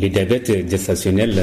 le diabète gestationnel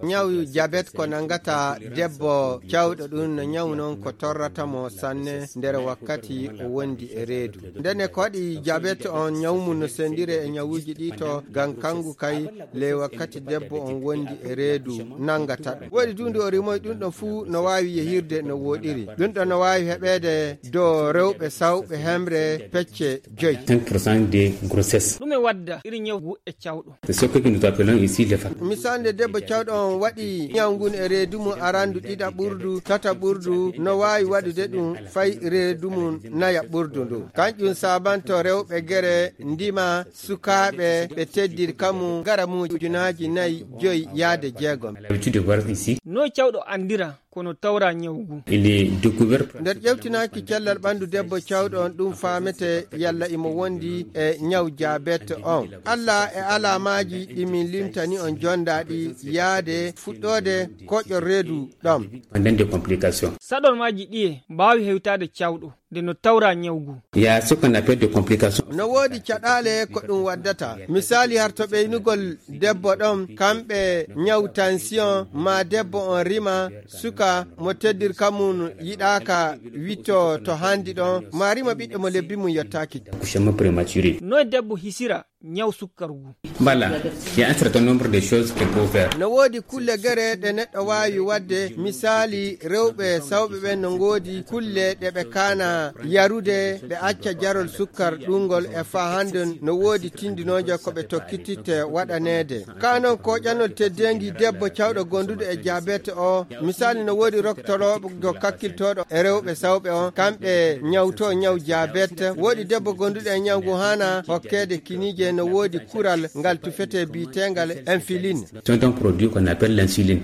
ñaw diabète ko nangata debbo cawɗo ɗum no ñaw non ko torrata mo sanne nder wakkati o wondi e reedu. Ndene ko waɗi diabète on ñawmum no sendire e ñawuji ɗi to ngam kangu kay le wakkati debbo on wondi e reedu nangata ɗum. Woɗi dunde o rimoy ɗum ɗon fuu no wawi yehirde no woɗiri. Ɗum ɗon no wawi heɓede do rewɓe sawɓe hemre pecce 5% de grossesse. ɗum e wadda iri ñawgu e cawɗo. C'est ce que nous appelons ici les femmes. Misande debbo cawɗo on waɗi ñawgun e reedu mum arandu ɗiɗa ɓurdu tata ɓurdu no wawi waɗude ɗum fay reedu mum naya ɓurdu ndu. Kanƴum sabanto rewɓe gere ndima sukaɓe ɓe teddiri kamum gara mum ujunaji 4 yaade 6. L'habitude de voir ici. No cawɗo andira kono tawra ñawgu. Il est découvert. Nder ƴewtinaki cellal ɓandu debbo cawɗo on ɗum famete yalla imo wondi e ñaw diabète on. Allah e alamaji ɗimin limtani on jondaɗi yaade fuɗɗode koƴol reedu ɗam. Pendant des complications. Saɗormaji ɗiye mbawi hewtade cawɗo nde no tawra ñawgu. Il y a ce qu'on appelle des complications. No woodi caɗale ko ɗum waddata. Misali har to ɓeynugol debbo ɗon kamɓe ñaw tension ma debbo on rima suka mo teddir kamum yiɗaka witto to handi ɗon ma rima ɓiɗɗo mo lebbi mum yottaki. Accouchement prématuré. No debbo hisira ñaw sukkargu. Voilà, il y a un certain nombre de choses qu'il faut faire. No woodi kulle gere ɗe neɗɗo wawi wadde. Misali rewɓe sawɓe ɓen no ngoodi kulle ɗe ɓe kana yarude ɓe acca jarol sukkar ɗungol e fa hande no woodi tindinoje ko ɓe tokkititte waɗanede. Kanon ko ƴanol teddengi debbo cawɗo gonduɗo e diabète o. Misali no woodi roktoroɓe kakkiltoɗo e rewɓe sawɓe on kamɓe ñawto ñaw diabète. Woodi debbo gonduɗo e ñawgu hana hokkede kinije no woodi kural ngal tufete bitengal insuline. C'est un produit qu'on appelle l'insuline.